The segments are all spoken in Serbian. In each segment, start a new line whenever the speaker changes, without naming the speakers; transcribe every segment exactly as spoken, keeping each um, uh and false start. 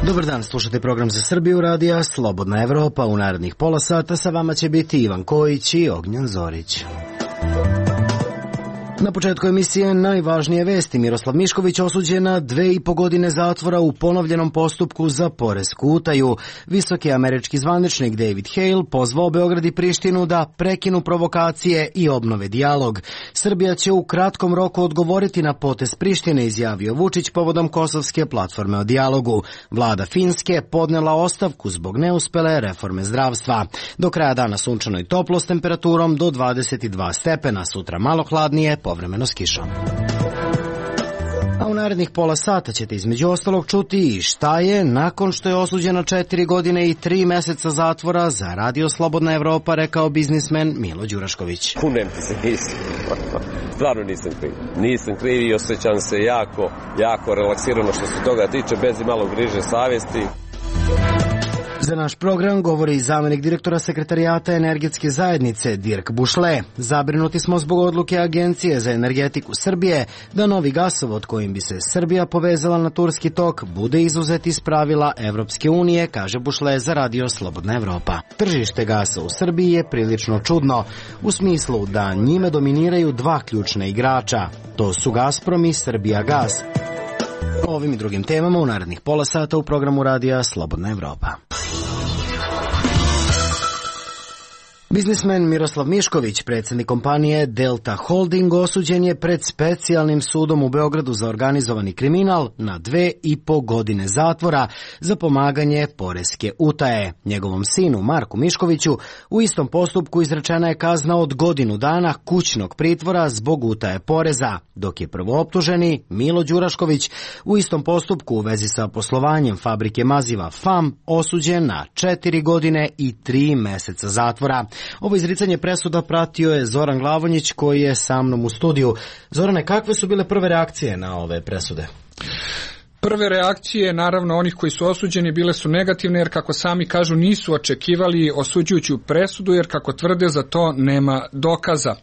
Dobar dan, slušate program za Srbiju radija Slobodna Evropa. U narednih pola sata sa vama će biti Ivan Kojić i Ognjan Zorić. Na početku emisije najvažnije vesti. Miroslav Mišković osuđen na dve i po godine zatvora u ponovljenom postupku za poresku utaju. Visoki američki zvaničnik David Hale pozvao Beograd i Prištinu da prekinu provokacije i obnove dijalog. Srbija će u kratkom roku odgovoriti na potez Prištine, izjavio Vučić povodom kosovske platforme o dijalogu. Vlada Finske podnela ostavku zbog neuspele reforme zdravstva. Do kraja dana sunčano i toplo s temperaturom do dvadeset dva stepena, sutra malo hladnije, povremeno s kišom. A u narednih pola sata ćete između ostalog čuti i šta je, nakon što je osuđena četiri godine i tri meseca zatvora za Radio Slobodna Evropa, rekao biznismen Milo Đurašković.
Kunem ti se, nisam. Stvarno nisam kriv. Nisam kriv i osjećam se jako, jako relaksirano što se toga tiče, bez i malo griže savjesti.
Za naš program govori i zamjenik direktora Sekretarijata energetske zajednice Dirk Bušle. Zabrinuti smo zbog odluke Agencije za energetiku Srbije da novi gasovod kojim bi se Srbija povezala na turski tok bude izuzet iz pravila Evropske unije, kaže Bušle za Radio Slobodna Evropa. Tržište gasa u Srbiji je prilično čudno, u smislu da njime dominiraju dva ključna igrača. To su Gazprom i Srbijagas. O ovim i drugim temama u narednih pola sata u programu Radija Slobodna Evropa. Biznismen Miroslav Mišković, predsjednik kompanije Delta Holding, osuđen je pred specijalnim sudom u Beogradu za organizovani kriminal na dve i po godine zatvora za pomaganje poreske utaje. Njegovom sinu Marku Miškoviću u istom postupku izrečena je kazna od godinu dana kućnog pritvora zbog utaje poreza, dok je prvooptuženi Milo Đurašković u istom postupku u vezi sa poslovanjem fabrike maziva F A M osuđen na četiri godine i tri meseca zatvora. Ovo izricanje presuda pratio je Zoran Glavonjić koji je sa mnom u studiju. Zorane, kakve su bile prve reakcije na ove presude?
Prve reakcije, naravno, onih koji su osuđeni bile su negativne, jer kako sami kažu nisu očekivali osuđujuću presudu, jer kako tvrde za to nema dokaza.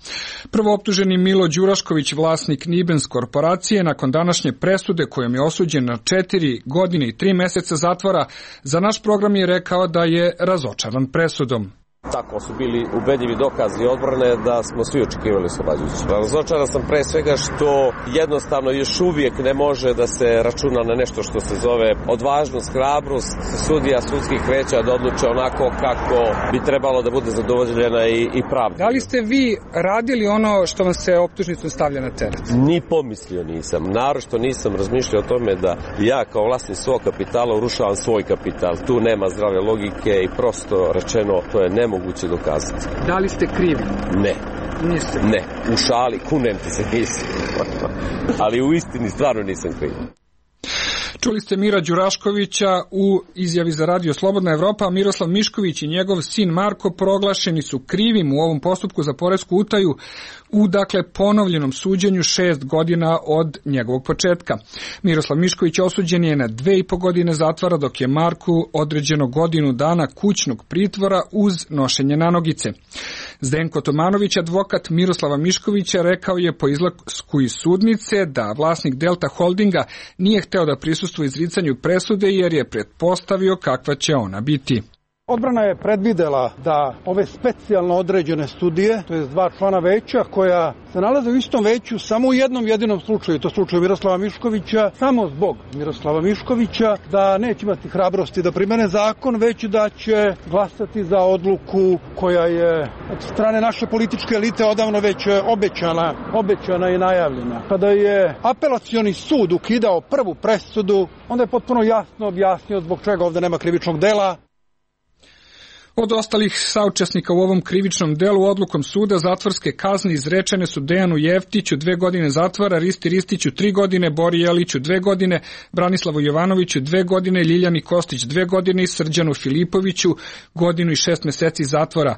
Prvooptuženi Milo Đurašković, vlasnik Nibens korporacije, nakon današnje presude kojom je osuđen na četiri godine i tri meseca zatvora, za naš program je rekao da je razočaran presudom.
Tako su bili ubedljivi dokazi odbrane da smo svi očekivali oslobađajući. Razočaran sam pre svega što jednostavno još uvijek ne može da se računa na nešto što se zove odvažnost, hrabrost sudija sudskih veća da odluče onako kako bi trebalo da bude zadovoljena i, i pravda.
Da li ste vi radili ono što vam se optužnicom stavlja na teret?
Ni pomislio nisam. Naročito nisam razmišljao o tome da ja kao vlasnik svog kapitala urušavam svoj kapital. Tu nema zdrave logike i prosto rečeno to je nemoguće moguće dokazati.
Da li ste krivi?
Ne.
Niste?
Ne. U šali, kunem ti se, nisam. Ali u istini stvarno nisam kriv.
Čuli ste Mira Đuraškovića u izjavi za Radio Slobodna Evropa. Miroslav Mišković i njegov sin Marko proglašeni su krivim u ovom postupku za poresku utaju u, dakle, ponovljenom suđenju šest godina od njegovog početka. Miroslav Mišković osuđen je na dve i po godine zatvora, dok je Marku određeno godinu dana kućnog pritvora uz nošenje nanogice. Zdenko Tomanović, advokat Miroslava Miškovića, rekao je po izlasku iz sudnice da vlasnik Delta Holdinga nije hteo da prisustvuje izricanju presude jer je pretpostavio kakva će ona biti.
Odbrana je predvidela da ove specijalno određene studije, to je dva člana veća koja se nalaze u istom veću samo u jednom jedinom slučaju, to slučaju Miroslava Miškovića, samo zbog Miroslava Miškovića, da neće imati hrabrosti da primene zakon, već da će glasati za odluku koja je od strane naše političke elite odavno već obećana, obećana i najavljena. Kada je apelacioni sud ukidao prvu presudu, onda je potpuno jasno objasnio zbog čega ovde nema krivičnog dela.
Od ostalih saučesnika u ovom krivičnom delu odlukom suda zatvorske kazne izrečene su Dejanu Jeftiću dve godine zatvora, Risti Ristiću tri godine, Bori Jeliću dve godine, Branislavu Jovanoviću dve godine, Ljiljani Kostić dve godine i Srđanu Filipoviću godinu i šest meseci zatvora.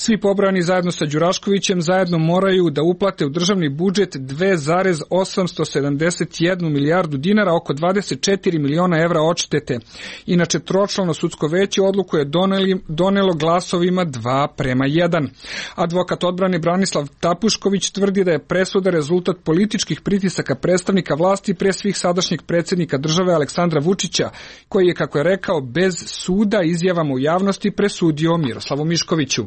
Svi pobrojani zajedno sa Đuraškovićem zajedno moraju da uplate u državni budžet dve zarez osamsto sedamdeset jednu milijardu dinara, oko dvadeset četiri miliona evra odštete. Inače, tročlano sudsko veće odluku je doneli, donelo glasovima dva prema jedan. Advokat odbrane Branislav Tapušković tvrdi da je presuda rezultat političkih pritisaka predstavnika vlasti, pre svih sadašnjeg predsjednika države Aleksandra Vučića, koji je, kako je rekao, bez suda izjavama u javnosti presudio Miroslavu Miškoviću.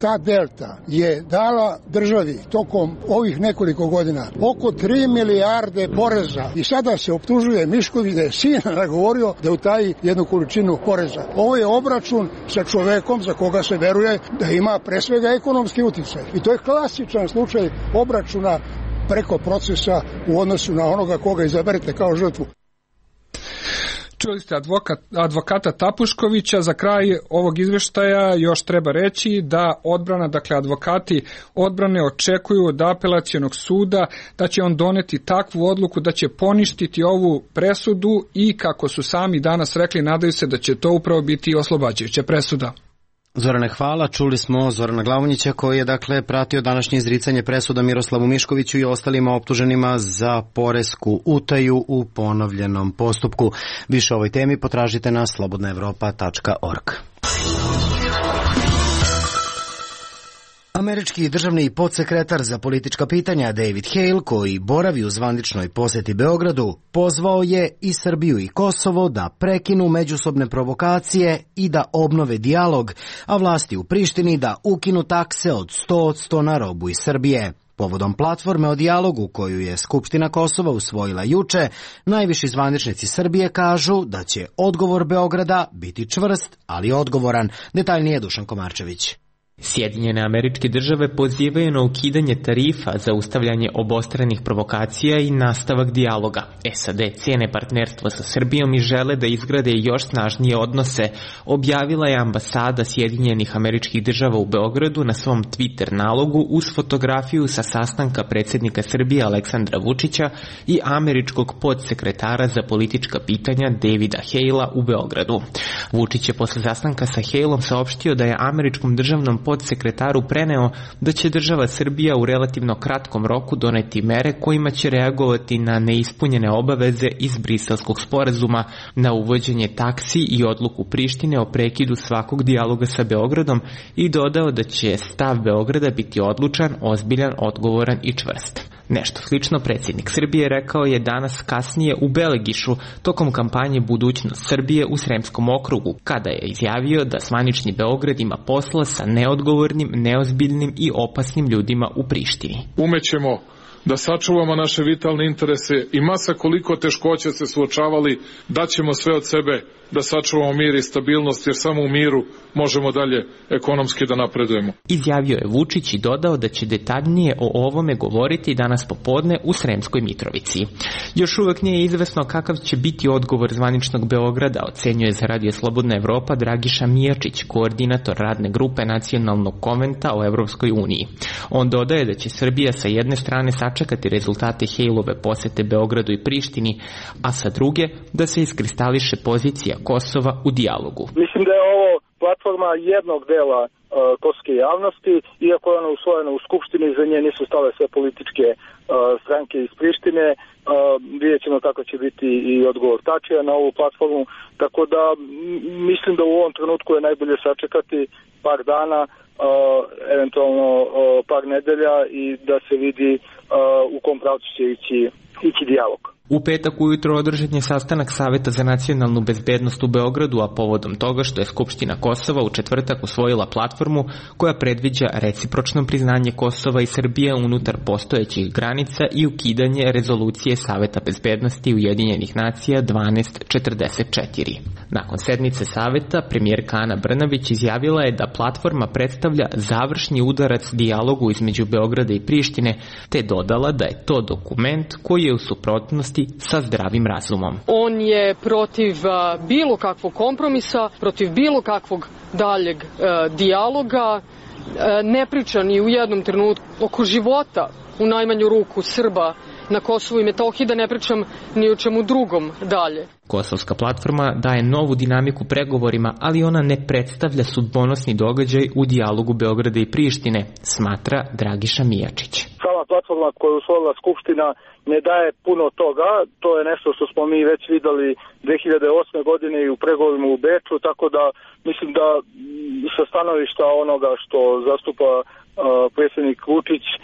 Ta delta je dala državi tokom ovih nekoliko godina oko tri milijarde poreza i sada se optužuje Mišković da je sina nagovorio da utaji jednu količinu poreza. Ovo je obračun sa čovekom za koga se veruje da ima pre svega ekonomski uticaj. I to je klasičan slučaj obračuna preko procesa u odnosu na onoga koga izaberete kao žrtvu.
Čuli ste advokat, advokata Tapuškovića. Za kraj ovog izveštaja još treba reći da odbrana, dakle advokati odbrane očekuju od apelacionog suda da će on doneti takvu odluku da će poništiti ovu presudu i, kako su sami danas rekli, nadaju se da će to upravo biti oslobađajuća presuda.
Zorane, hvala. Čuli smo Zorana Glavonjića koji je dakle pratio današnje izricanje presuda Miroslavu Miškoviću i ostalima optuženima za poresku utaju u ponovljenom postupku. Više o ovoj temi potražite na slobodna evropa tačka org. Američki državni podsekretar za politička pitanja David Hale, koji boravi u zvaničnoj poseti Beogradu, pozvao je i Srbiju i Kosovo da prekinu međusobne provokacije i da obnove dijalog, a vlasti u Prištini da ukinu takse od sto posto na robu iz Srbije. Povodom platforme o dijalogu koju je Skupština Kosova usvojila juče, najviši zvaničnici Srbije kažu da će odgovor Beograda biti čvrst, ali odgovoran. Detaljnije Dušan Komarčević.
Sjedinjene Američke Države pozivaju na ukidanje tarifa za ustavljanje obostranih provokacija i nastavak dijaloga. S A D cijene partnerstvo sa Srbijom i žele da izgrade još snažnije odnose, objavila je ambasada Sjedinjenih Američkih Država u Beogradu na svom Twitter nalogu uz fotografiju sa sastanka predsjednika Srbije Aleksandra Vučića i američkog podsekretara za politička pitanja Davida Halea u Beogradu. Vučić je posle sastanka sa Haleom saopštio da je američkom državnom podsekretaru preneo da će država Srbija u relativno kratkom roku doneti mere kojima će reagovati na neispunjene obaveze iz Briselskog sporazuma, na uvođenje taksi i odluku Prištine o prekidu svakog dijaloga sa Beogradom i dodao da će stav Beograda biti odlučan, ozbiljan, odgovoran i čvrst. Nešto slično predsjednik Srbije rekao je danas kasnije u Belegišu tokom kampanje Budućnost Srbije u Sremskom okrugu, kada je izjavio da zvanični Beograd ima posla sa neodgovornim, neozbiljnim i opasnim ljudima u Prištini.
Umećemo da sačuvamo naše vitalne interese i masa koliko teškoća se suočavali, daćemo sve od sebe da sačuvamo mir i stabilnost, jer samo u miru možemo dalje ekonomski da napredujemo.
Izjavio je Vučić i dodao da će detaljnije o ovome govoriti danas popodne u Sremskoj Mitrovici. Još uvek nije izvesno kakav će biti odgovor zvaničnog Beograda, ocenjuje za Radio Slobodna Evropa Dragiša Mijačić, koordinator radne grupe Nacionalnog konventa o Evropskoj uniji. On dodaje da će Srbija sa jedne strane sačekati rezultate Haleove posete Beogradu i Prištini, a sa druge da se iskristališe pozicija Kosova u dijalogu.
Mislim da je ovo platforma jednog dela uh, kosovske javnosti, iako je ona usvojena u Skupštini, za nje nisu stale sve političke uh, stranke iz Prištine. Uh, vidjet ćemo kako će biti i odgovor Tačija na ovu platformu, tako da m, mislim da u ovom trenutku je najbolje sačekati par dana, uh, eventualno uh, par nedelja i da se vidi uh, u kom pravcu će ići, ići dijalog.
U petak ujutro održan je sastanak Saveta za nacionalnu bezbednost u Beogradu, a povodom toga što je Skupština Kosova u četvrtak usvojila platformu koja predviđa recipročno priznanje Kosova i Srbije unutar postojećih granica i ukidanje rezolucije Saveta bezbednosti Ujedinjenih nacija dvanaest četrdeset četiri. Nakon sednice Saveta, premijerka Ana Brnabić izjavila je da platforma predstavlja završni udarac dijalogu između Beograda i Prištine, te dodala da je to dokument koji je u suprotnosti sa zdravim razumom.
On je protiv uh, bilo kakvog kompromisa, protiv bilo kakvog daljeg uh, dijaloga, uh, ne priča ni u jednom trenutku oko života, u najmanju ruku Srba na Kosovu i Metohiji, da ne pričam ni o čemu drugom dalje.
Kosovska platforma daje novu dinamiku pregovorima, ali ona ne predstavlja sudbonosni događaj u dijalogu Beograda i Prištine, smatra Dragiša Mijačić.
Sama platforma koju je usvojila Skupština ne daje puno toga, to je nešto što smo mi već videli dve hiljade osme godine i u pregovorima u Beču, tako da mislim da sa stanovišta onoga što zastupa uh, predsjednik Vučić e,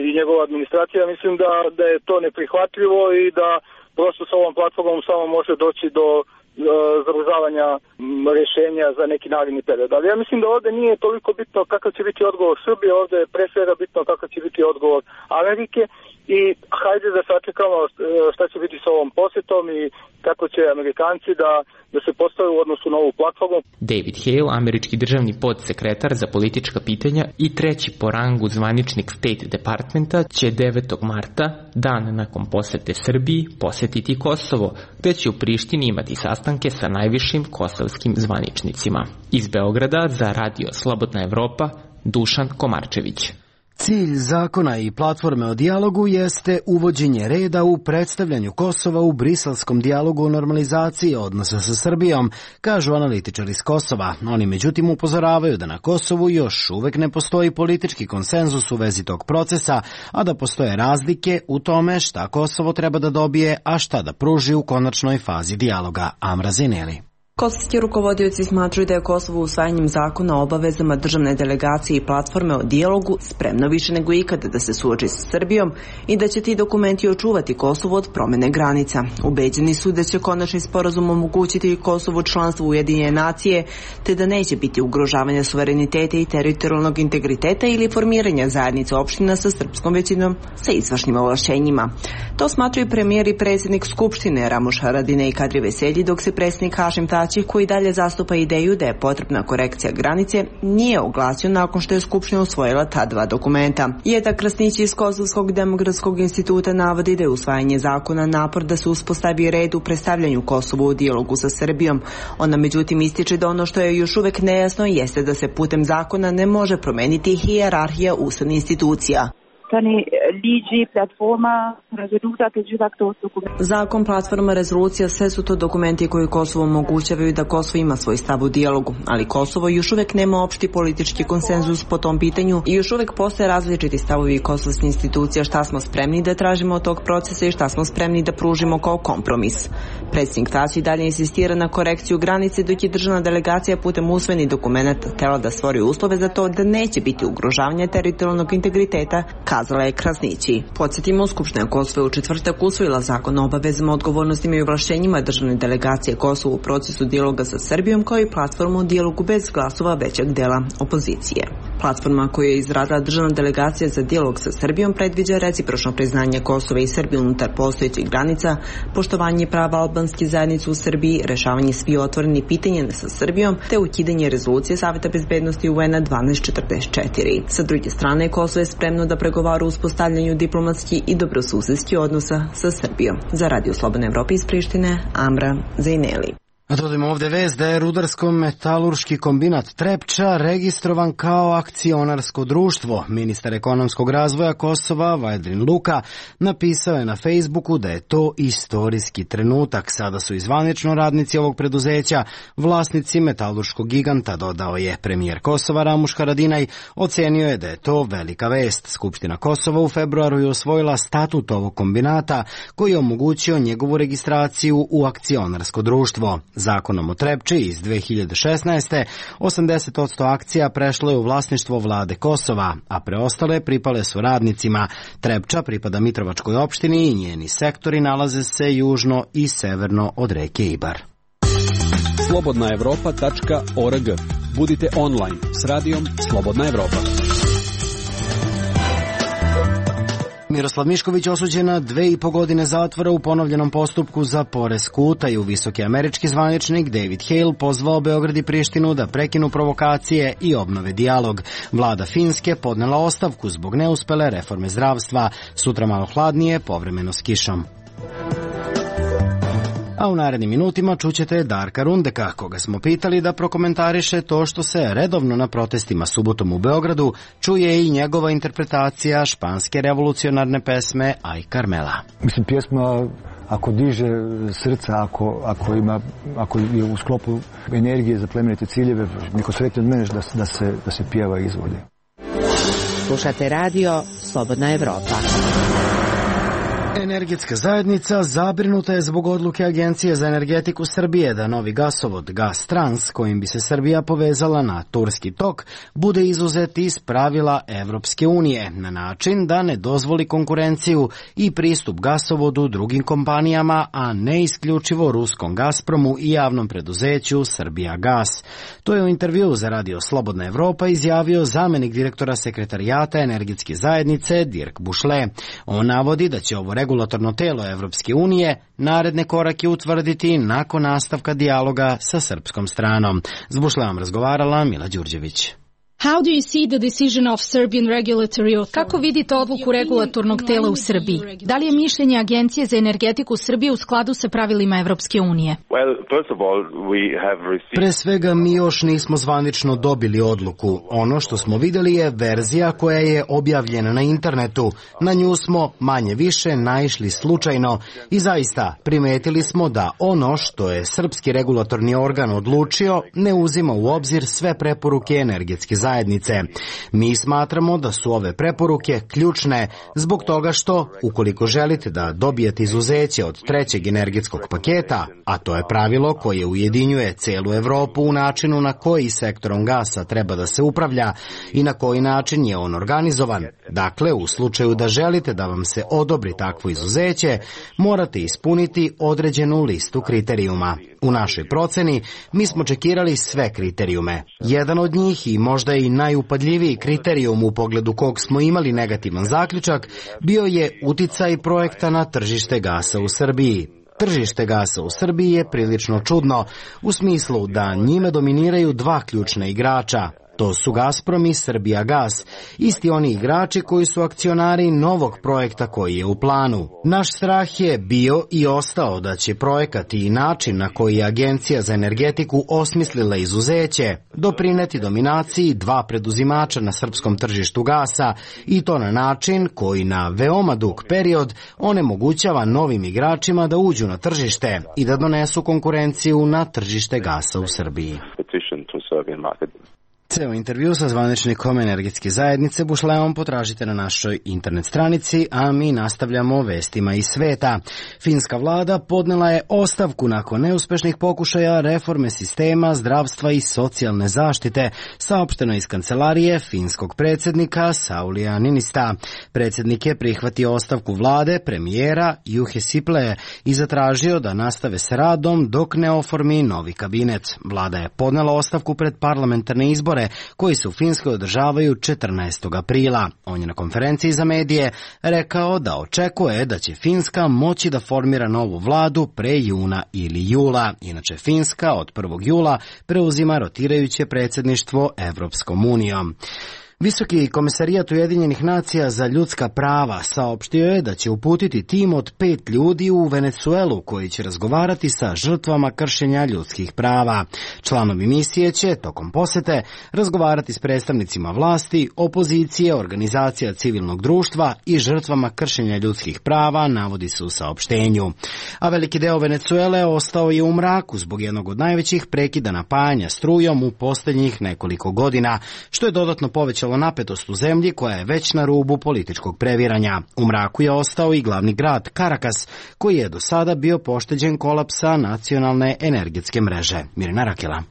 i njegova administracija, mislim da, da je to neprihvatljivo i da prosto sa ovom platformom samo može doći do uh, zamrzavanja rješenja za neki naredni period. Ali ja mislim da ovdje nije toliko bitno kakav će biti odgovor Srbije, ovdje je pre svega bitno kakav će biti odgovor Amerike i hajde da sačekamo šta će biti sa ovom posjetom i kako će Amerikanci da, da se postave u odnosu na ovu platformu.
David Hale, američki državni podsekretar za politička pitanja i treći po rangu zvaničnik State Departmenta, će devetog marta, dan nakon posete Srbiji, posjetiti Kosovo, gde će u Prištini imati sastanke sa najvišim kosovskim zvaničnicima. Iz Beograda za Radio Slobodna Evropa, Dušan Komarčević.
Cilj zakona i platforme o dijalogu jeste uvođenje reda u predstavljanju Kosova u briselskom dijalogu o normalizaciji odnosa sa Srbijom, kažu analitičari iz Kosova. Oni međutim upozoravaju da na Kosovu još uvek ne postoji politički konsenzus u vezi tog procesa, a da postoje razlike u tome šta Kosovo treba da dobije, a šta da pruži u konačnoj fazi dijaloga. Amra Zineli.
Kosovski rukovodioci smatruju da je Kosovo usvajanjem zakona o obavezama državne delegacije i platforme o dijalogu spremno više nego ikada da se suoči sa Srbijom i da će ti dokumenti očuvati Kosovo od promene granica. Ubeđeni su da će konačni sporazum omogućiti Kosovu članstvo u Ujedinjene nacije, te da neće biti ugrožavanja suvereniteta i teritorijalnog integriteta ili formiranja zajednice opština sa srpskom većinom sa izvršnim ovlašćenjima. To smatruju premijer i predsjednik Skupštine Ramuš Haradinaj i Kadri Veselji, dok se predsjednik Hašim Tači, koji dalje zastupa ideju da je potrebna korekcija granice, nije oglasio nakon što je Skupština usvojila ta dva dokumenta. Jeta Krasnić iz Kosovskog demokratskog instituta navodi da je usvajanje zakona napor da se uspostavi red u predstavljanju Kosova u dijalogu sa Srbijom. Ona međutim ističe da ono što je još uvek nejasno jeste da se putem zakona ne može promeniti hijerarhija ustavnih institucija. Zakon, platforma, rezolucija, sve su to dokumenti koji Kosovo omogućavaju da Kosovo ima svoj stav u dijalogu, ali Kosovo još uvek nema opšti politički konsenzus po tom pitanju i još uvek postoje različiti stavovi kosovskih institucija šta smo spremni da tražimo od tog procesa i šta smo spremni da pružimo kao kompromis. Predsjednik Tači dalje insistira na korekciju granice, dok je državna delegacija putem usvojenih dokumenata htela da stvori uslove za to da neće biti ugrožavanja teritorijalnog integriteta, kazala je Krasnići. Podsjetimo, Skupština Kosova je u četvrtak usvojila zakon o obavezama, odgovornostima i ovlašćenjima državne delegacije Kosova u procesu dijaloga sa Srbijom, kao i platformu o dijalogu bez glasova većeg dela opozicije. Platforma koju je izradila državna delegacija za dijalog sa Srbijom predviđa recipročno priznanje Kosova i Srbije unutar postojećih granica, poštovanje prava albanskih zajednica u Srbiji, rešavanje svih otvorenih pitanja sa Srbijom, te ukidanje rezolucije Saveta bezbednosti U N-a dvanaest četrdeset četiri. Sa druge strane, Kosovo je spremno da pregovara u uspostavljanju diplomatskih i dobrosusedskih odnosa sa Srbijom. Za Radio Slobodne Evrope iz Prištine, Amra Zajneli.
A dodajmo ovde vest da je rudarsko-metalurški kombinat Trepča registrovan kao akcionarsko društvo. Ministar ekonomskog razvoja Kosova, Vajdrin Luka, napisao je na Facebooku da je to istorijski trenutak. Sada su i zvanično radnici ovog preduzeća vlasnici metalurškog giganta, dodao je. Premijer Kosova Ramuš Haradinaj ocenio je da je to velika vest. Skupština Kosova u februaru je osvojila statut ovog kombinata koji je omogućio njegovu registraciju u akcionarsko društvo. Zakonom o Trepči iz dve hiljade šesnaeste. osamdeset posto akcija prešlo je u vlasništvo vlade Kosova, a preostale pripale su radnicima. Trepča pripada Mitrovačkoj opštini i njeni sektori nalaze se južno i severno od reke Ibar.
slobodna evropa tačka org. Budite online s radijom Slobodna Evropa.
Miroslav Mišković osuđen na dve i po godine zatvora u ponovljenom postupku za poresku utaju. Visoki američki zvaničnik David Hale pozvao Beograd i Prištinu da prekinu provokacije i obnove dijalog. Vlada Finske podnela ostavku zbog neuspele reforme zdravstva. Sutra malo hladnije, povremeno s kišom. A u narednim minutima čućete Darka Rundeka, koga smo pitali da prokomentariše to što se redovno na protestima subotom u Beogradu čuje i njegova interpretacija španske revolucionarne pesme Aj Carmela.
Mislim, pjesma ako diže srca, ako, ako, ima, ako je u sklopu energije za plemenite ciljeve, niko sretni od mene da, da, se, da se pjeva i izvodi.
Slušate radio Slobodna Evropa.
Energetska zajednica zabrinuta je zbog odluke Agencije za energetiku Srbije da novi gasovod Gas Trans, kojim bi se Srbija povezala na Turski tok, bude izuzet iz pravila Evropske unije na način da ne dozvoli konkurenciju i pristup gasovodu drugim kompanijama, a ne isključivo ruskom Gazpromu i javnom preduzeću Srbija Gas. To je u intervjuu za radio Slobodna Evropa izjavio zamenik direktora sekretarijata energetske zajednice Dirk Bušle. On navodi da će ovo regulatorno telo Evropske unije naredne korake utvrditi nakon nastavka dijaloga sa srpskom stranom. S Bušleom razgovarala Mila Đurđević.
How do you see the decision of Serbian regulatory authority? Kako vidite odluku regulatornog tela u Srbiji? Da li je mišljenje Agencije za energetiku Srbije u skladu sa pravilima Evropske unije?
Well, first of all, we have received...
Pre svega mi još nismo zvanično dobili odluku. Ono što smo vidjeli je verzija koja je objavljena na internetu. Na nju smo manje više naišli slučajno i zaista primetili smo da ono što je srpski regulatorni organ odlučio ne uzima u obzir sve preporuke energetske zajednice. zajednice. Mi smatramo da su ove preporuke ključne zbog toga što, ukoliko želite da dobijete izuzeće od trećeg energetskog paketa, a to je pravilo koje ujedinjuje celu Evropu u načinu na koji sektorom gasa treba da se upravlja i na koji način je on organizovan. Dakle, u slučaju da želite da vam se odobri takvo izuzeće, morate ispuniti određenu listu kriterijuma. U našoj proceni mi smo čekirali sve kriterijume. Jedan od njih i možda i najupadljiviji kriterijum u pogledu kog smo imali negativan zaključak bio je uticaj projekta na tržište gasa u Srbiji. Tržište gasa u Srbiji je prilično čudno, u smislu da njime dominiraju dva ključna igrača. To su Gazprom i Srbija Gas, isti oni igrači koji su akcionari novog projekta koji je u planu. Naš strah je bio i ostao da će projekat i način na koji je Agencija za energetiku osmislila izuzeće doprineti dominaciji dva preduzimača na srpskom tržištu gasa i to na način koji na veoma dug period onemogućava novim igračima da uđu na tržište i da donesu konkurenciju na tržište gasa u Srbiji. Ceo intervju sa zvaničnikom energetske zajednice Bušleom potražite na našoj internet stranici, a mi nastavljamo vestima iz sveta. Finska vlada podnela je ostavku nakon neuspešnih pokušaja reforme sistema zdravstva i socijalne zaštite, saopšteno iz kancelarije finskog predsjednika Saulija Niinista. Predsjednik je prihvatio ostavku vlade premijera Juhe Sipilä i zatražio da nastave s radom dok ne oformi novi kabinet. Vlada je podnela ostavku pred parlamentarne izbore koji se u Finskoj održavaju četrnaestog aprila. On je na konferenciji za medije rekao da očekuje da će Finska moći da formira novu vladu pre juna ili jula. Inače, Finska od prvog jula preuzima rotirajuće predsjedništvo Evropskom unijom. Visoki komesarijat Ujedinjenih nacija za ljudska prava saopštio je da će uputiti tim od pet ljudi u Venecuelu koji će razgovarati sa žrtvama kršenja ljudskih prava. Članovi misije će tokom posete razgovarati s predstavnicima vlasti, opozicije, organizacija civilnog društva i žrtvama kršenja ljudskih prava, navodi se u saopštenju. A veliki deo Venecuele ostao je u mraku zbog jednog od najvećih prekida napajanja strujom u posljednjih nekoliko godina, što je dodatno povećalo napetost u zemlji koja je već na rubu političkog previranja. U mraku je ostao i glavni grad Karakas, koji je do sada bio pošteđen kolapsa nacionalne energetske mreže. Mirina Rakela.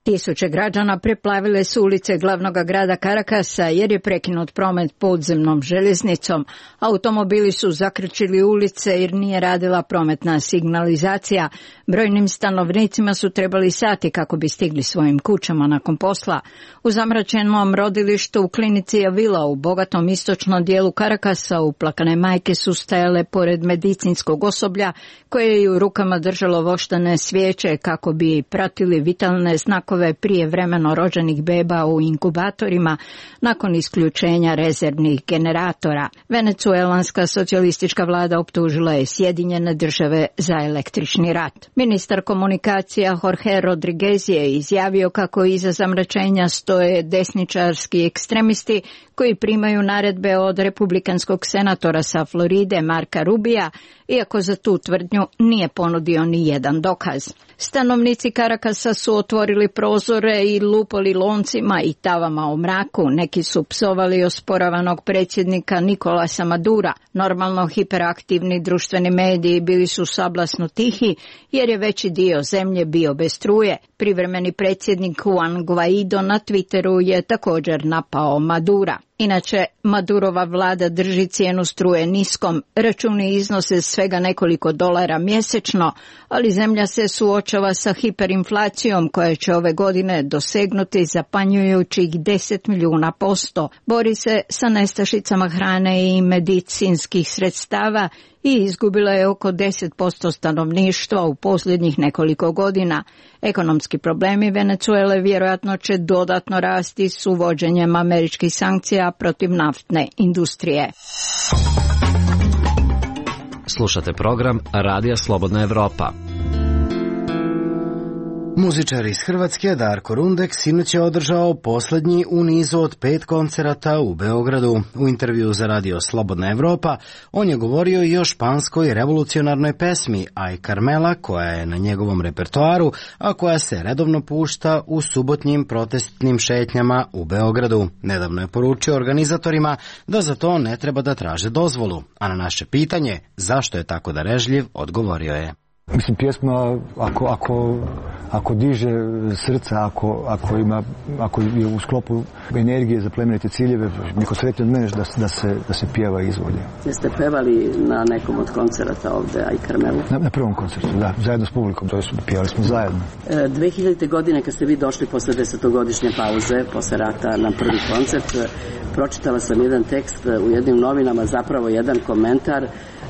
Tisuće građana preplavile su ulice glavnog grada Karakasa jer je prekinut promet podzemnom željeznicom. Automobili su zakrčili ulice jer nije radila prometna signalizacija. Brojnim stanovnicima su trebali sati kako bi stigli svojim kućama nakon posla. U zamračenom rodilištu u klinici Avila u bogatom istočnom dijelu Karakasa uplakane majke su stajale pored medicinskog osoblja koje je u rukama držalo voštane svijeće kako bi pratili vitalne znakove brojkove prijevremeno rođenih beba u inkubatorima nakon isključenja rezervnih generatora. Venecuelanska socijalistička vlada optužila je Sjedinjene države za električni rat. Ministar komunikacija Jorge Rodriguez je izjavio kako iza zamračenja stoje desničarski ekstremisti koji primaju naredbe od republikanskog senatora sa Floride Marka Rubija, iako za tu tvrdnju nije ponudio ni jedan dokaz. Stanovnici Karakasa su otvorili prozore i lupali loncima i tavama u mraku. Neki su psovali osporavanog predsjednika Nikolasa Madura. Normalno hiperaktivni društveni mediji bili su sablasno tihi jer je veći dio zemlje bio bez struje. Privremeni predsjednik Juan Guaido na Twitteru je također napao Madura. Inače, Madurova vlada drži cijenu struje niskom, računi iznose svega nekoliko dolara mjesečno, ali zemlja se suočava sa hiperinflacijom koja će ove godine dosegnuti zapanjujućih deset milijuna posto. Bori se sa nestašicama hrane i medicinskih sredstava i izgubila je oko deset posto stanovništva u posljednjih nekoliko godina. Ekonomski problemi Venezuele vjerojatno će dodatno rasti s uvođenjem američkih sankcija protiv naftne industrije.
Slušate program Radija Slobodna Evropa.
Muzičar iz Hrvatske Darko Rundek sinoć je održao posljednji u nizu od pet koncerata u Beogradu. U intervju za Radio Slobodna Evropa on je govorio i o španskoj revolucionarnoj pesmi Aj Carmela, koja je na njegovom repertoaru, a koja se redovno pušta u subotnjim protestnim šetnjama u Beogradu. Nedavno je poručio organizatorima da za to ne treba da traže dozvolu, a na naše pitanje zašto je tako darežljiv odgovorio je.
Mislim, pjesma ako, ako, ako diže srca, ako, ako, ima, ako je u sklopu energije za plemenite ciljeve, niko sretnije od mene da, da, se, da se pjeva i izvodi.
Jeste pevali na nekom od koncerata ovde, Aj Carmelu?
Na, na prvom koncertu, da, zajedno s publikom, to je, pjevali smo zajedno.
E, dve hiljadite. godine kad ste vi došli posle desetogodišnje pauze, posle rata na prvi koncert, pročitala sam jedan tekst u jednim novinama, zapravo jedan komentar.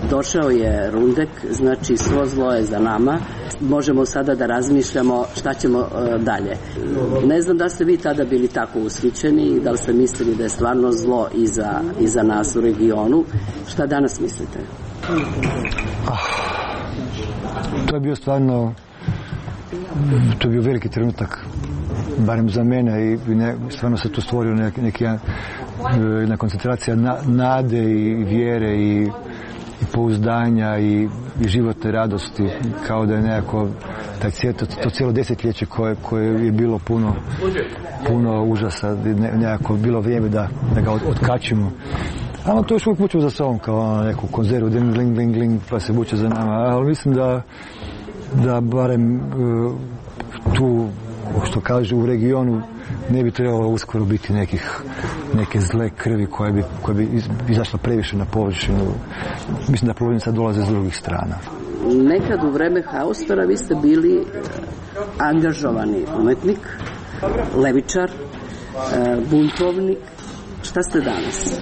Došao je Rundek, znači svo zlo je za nama, možemo sada da razmišljamo šta ćemo uh, dalje. Ne znam da ste vi tada bili tako ushićeni i da li ste mislili da je stvarno zlo iza, iza nas u regionu. Šta danas mislite?
Ah, to je bio stvarno, to je bio veliki trenutak, barem za mene, i ne, stvarno se tu stvorio neki, neki jedna koncentracija na, nade i vjere i i pouzdanja i, i životne radosti, kao da je nekako taj cijelo, to cijelo desetljeće koje, koje je bilo puno, puno užasa, ne, nekako bilo vrijeme da, da ga od, otkačimo. Ali to još uvijek vuče za sobom kao neku konzervu, ding, gling, gling, gling, pa se vuče za nama. Ali mislim da, da barem uh, tu, što kaže, u regionu ne bi trebalo uskoro biti nekih, neke zle krvi koje bi, koje bi izašla previše na površinu. Mislim da problemi sad dolaze s drugih strana.
Nekad u vreme Haustora vi ste bili angažovani umetnik, levičar, buntovnik. Šta ste danas?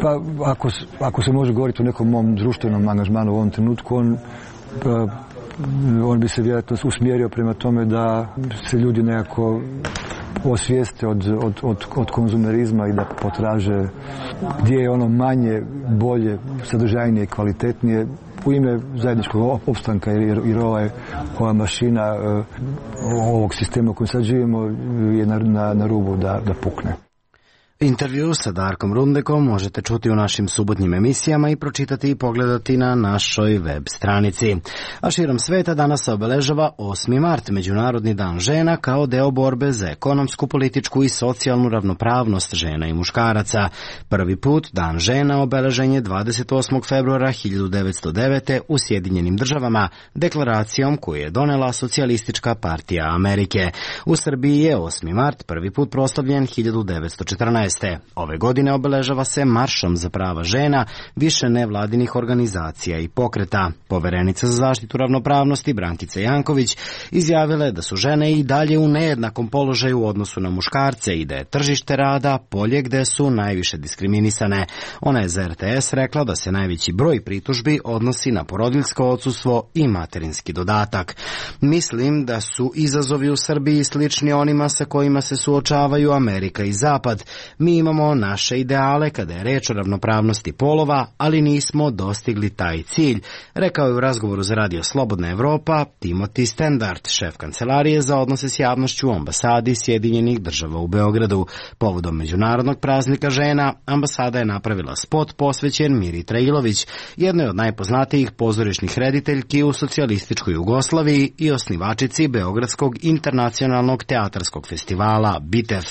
Pa ako, ako se može govoriti o nekom mom društvenom angažmanu u ovom trenutku, on pa, on bi se vjerojatno usmjerio prema tome da se ljudi nekako osvijeste od, od, od, od konzumerizma i da potraže gdje je ono manje, bolje, sadržajnije, kvalitetnije u ime zajedničkog opstanka, jer, jer ova, ova mašina ovog sistema u kojem sad živimo je na, na, na rubu da, da pukne.
Intervju sa Darkom Rundekom možete čuti u našim subotnjim emisijama i pročitati i pogledati na našoj web stranici. A širom sveta danas se obeležava osmi mart, Međunarodni dan žena, kao deo borbe za ekonomsku, političku i socijalnu ravnopravnost žena i muškaraca. Prvi put dan žena obeležen je dvadeset osmog februara hiljadu devetsto devete. u Sjedinjenim državama, deklaracijom koju je donela Socijalistička partija Amerike. U Srbiji je osmi mart prvi put proslavljen hiljadu devetsto četrnaeste. šesnaeste. Ove godine obeležava se Maršom za prava žena više nevladinih organizacija i pokreta. Poverenica za zaštitu ravnopravnosti Brankica Janković izjavila je da su žene i dalje u nejednakom položaju u odnosu na muškarce i da je tržište rada polje gde su najviše diskriminisane. Ona je za R T S rekla da se najveći broj pritužbi odnosi na porodiljsko odsustvo i materinski dodatak. Mislim da su izazovi u Srbiji slični onima sa kojima se suočavaju Amerika i Zapad. Mi imamo naše ideale kada je reč o ravnopravnosti polova, ali nismo dostigli taj cilj, rekao je u razgovoru za Radio Slobodna Evropa Timothy Stendard, šef kancelarije za odnose s javnošću u ambasadi Sjedinjenih država u Beogradu. Povodom Međunarodnog praznika žena, ambasada je napravila spot posvećen Miri Trailović, jednoj od najpoznatijih pozorišnih rediteljki u socijalističkoj Jugoslaviji i osnivačici Beogradskog internacionalnog teatarskog festivala BITEF.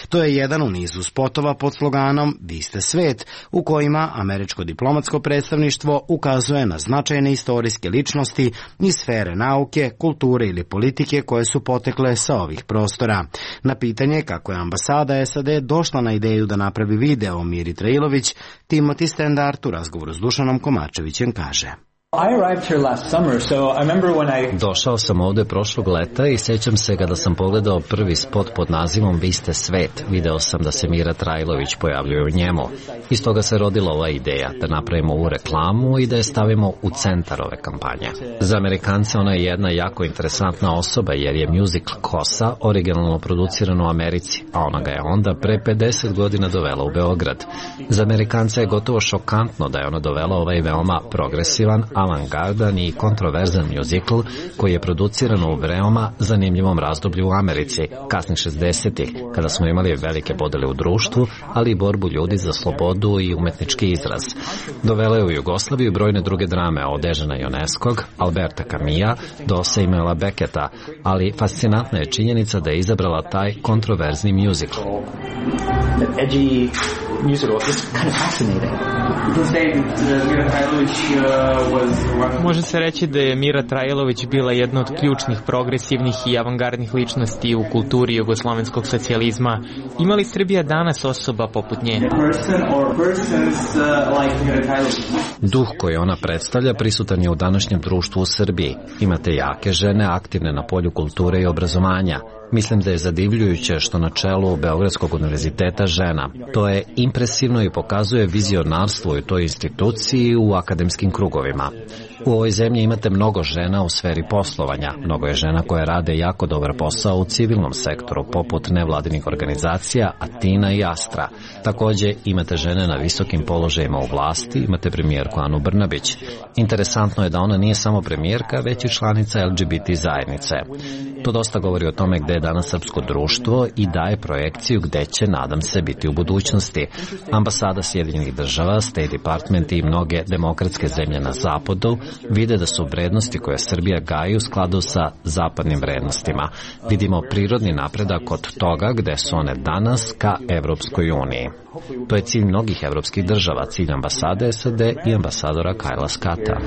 To je jedan u nizu spotova pod sloganom Vi ste svet, u kojima američko diplomatsko predstavništvo ukazuje na značajne istorijske ličnosti iz sfere nauke, kulture ili politike koje su potekle sa ovih prostora. Na pitanje kako je ambasada S A D došla na ideju da napravi video o Miri Trailović, Timothy Stendard u razgovoru s Dušanom Komačevićem kaže:
Došao sam ovde prošlog leta i sećam se kada sam pogledao prvi spot pod nazivom Vi ste svet, video sam da se Mira Trailović pojavljuje u njemu. Iz toga se rodila ova ideja da napravimo ovu reklamu i da je stavimo u centar ove kampanje. Za Amerikance ona je jedna jako interesantna osoba jer je musical Kosa originalno produciran u Americi, a ona ga je onda pre pedeset godina dovela u Beograd. Za Amerikance je gotovo šokantno da je ona dovela ovaj veoma progresivan, avangardan i kontroverzan musical koji je produciran u veoma zanimljivom razdoblju u Americi, kasnih šezdesetih, kada smo imali velike podele u društvu, ali i borbu ljudi za slobodu i umetnički izraz. Dovela je u Jugoslaviju brojne druge drame od Dežana Ioneskog, Alberta Camilla do Samuela Becketa, ali fascinantna je činjenica da je izabrala taj kontroverzni musical.
Može se reći da je Mira Trailović bila jedna od ključnih progresivnih i avangardnih ličnosti u kulturi jugoslovenskog socijalizma. Ima li Srbija danas osoba poput nje?
Duh koji ona predstavlja prisutan je u današnjem društvu u Srbiji. Imate jake žene aktivne na polju kulture i obrazovanja. Mislim da je zadivljujuće što na čelu Beogradskog univerziteta žena. To je impresivno i pokazuje vizionarstvo u toj instituciji u akademskim krugovima. U ovoj zemlji imate mnogo žena u sferi poslovanja. Mnogo je žena koje rade jako dobar posao u civilnom sektoru, poput nevladinih organizacija Atina i Astra. Takođe, imate žene na visokim položajima u vlasti, imate premijerku Anu Brnabić. Interesantno je da ona nije samo premijerka, već i članica L G B T zajednice. To dosta govori o tome gde je danas srpsko društvo i daje projekciju gde će, nadam se, biti u budućnosti. Ambasada Sjedinjenih država, State Department i mnoge demokratske zemlje na zapadu vide da su vrednosti koje Srbija gaji u skladu sa zapadnim vrednostima. Vidimo prirodni napredak od toga gde su one danas ka Evropskoj uniji. To je cilj mnogih evropskih država, cilj ambasade S A D i ambasadora Kajla Scotta.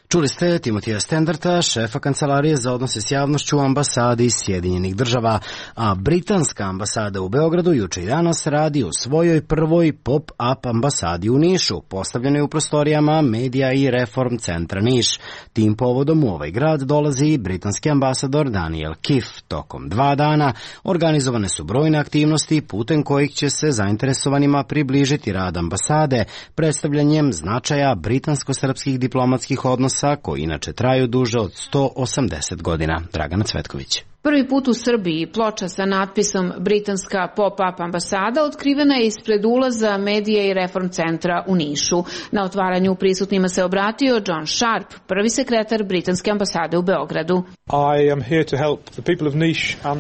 Čuli ste Timotija Stendarta, šefa kancelarije za odnose s javnošću u ambasadi Sjedinjenih država, a britanska ambasada u Beogradu juče i danas radi u svojoj prvoj pop-up ambasadi u Nišu, postavljenoj u prostorijama Medija i Reform centra Niš. Tim povodom u ovaj grad dolazi i britanski ambasador Daniel Kiff. Tokom dva dana organizovane su brojne aktivnosti putem kojih će se zainteresovanima približiti rad ambasade, predstavljanjem značaja britansko-srpskih diplomatskih odnosa koji inače traju duže od sto osamdeset godina. Dragana Cvetković.
Prvi put u Srbiji ploča sa natpisom Britanska pop-up ambasada otkrivena je ispred ulaza Medija i Reform centra u Nišu. Na otvaranju prisutnima se obratio John Sharp, prvi sekretar britanske ambasade u Beogradu.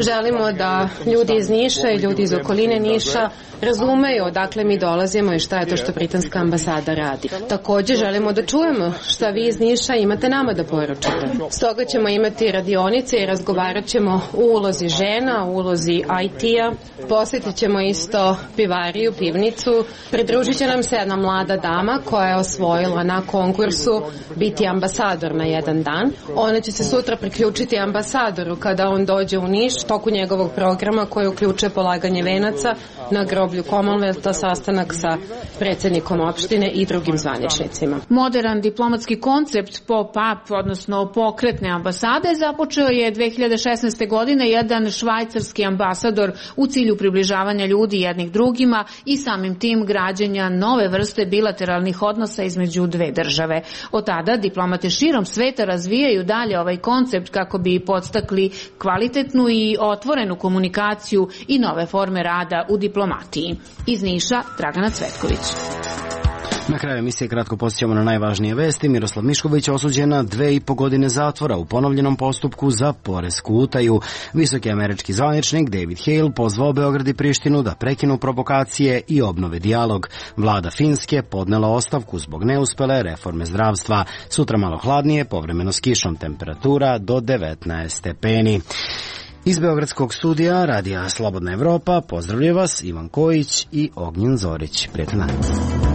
Želimo da ljudi iz Niša i ljudi iz okoline Niša razumeju odakle mi dolazimo i šta je to što britanska ambasada radi. Takođe želimo da čujemo šta vi iz Niša imate nama da poručite. Stoga ćemo imati radionice i razgovarat ćemo ćemo u ulozi žena, u ulozi I T-a, posjetit ćemo isto pivariju, pivnicu, pridružit će nam se jedna mlada dama koja je osvojila na konkursu biti ambasador na jedan dan. Ona će se sutra priključiti ambasadoru kada on dođe u Niš, toku njegovog programa koji uključuje polaganje venaca na groblju Commonwealtha, sastanak sa predsjednikom opštine i drugim zvaničnicima.
Modern diplomatski koncept pop-up, odnosno pokretne ambasade, započeo je dve hiljade šesnaeste. godine jedan švajcarski ambasador u cilju približavanja ljudi jednih drugima i samim tim građenja nove vrste bilateralnih odnosa između dve države. Od tada diplomate širom sveta razvijaju dalje ovaj koncept kako bi podstakli kvalitetnu i otvorenu komunikaciju i nove forme rada u diplomatiji. Iz Niša, Dragana Cvetković.
Na kraju emisije kratko podsjećamo na najvažnije vesti. Miroslav Mišković osuđen na dve i po godine zatvora u ponovljenom postupku za poresku utaju. Visoki američki zvaničnik David Hale pozvao Beograd i Prištinu da prekinu provokacije i obnove dijalog. Vlada Finske podnela ostavku zbog neuspele reforme zdravstva. Sutra malo hladnije, povremeno s kišom, temperatura do devetnaest stepeni. Iz Beogradskog studija Radija Slobodna Evropa pozdravljaju vas Ivan Kojić i Ognjen Zorić. Prijatno dan.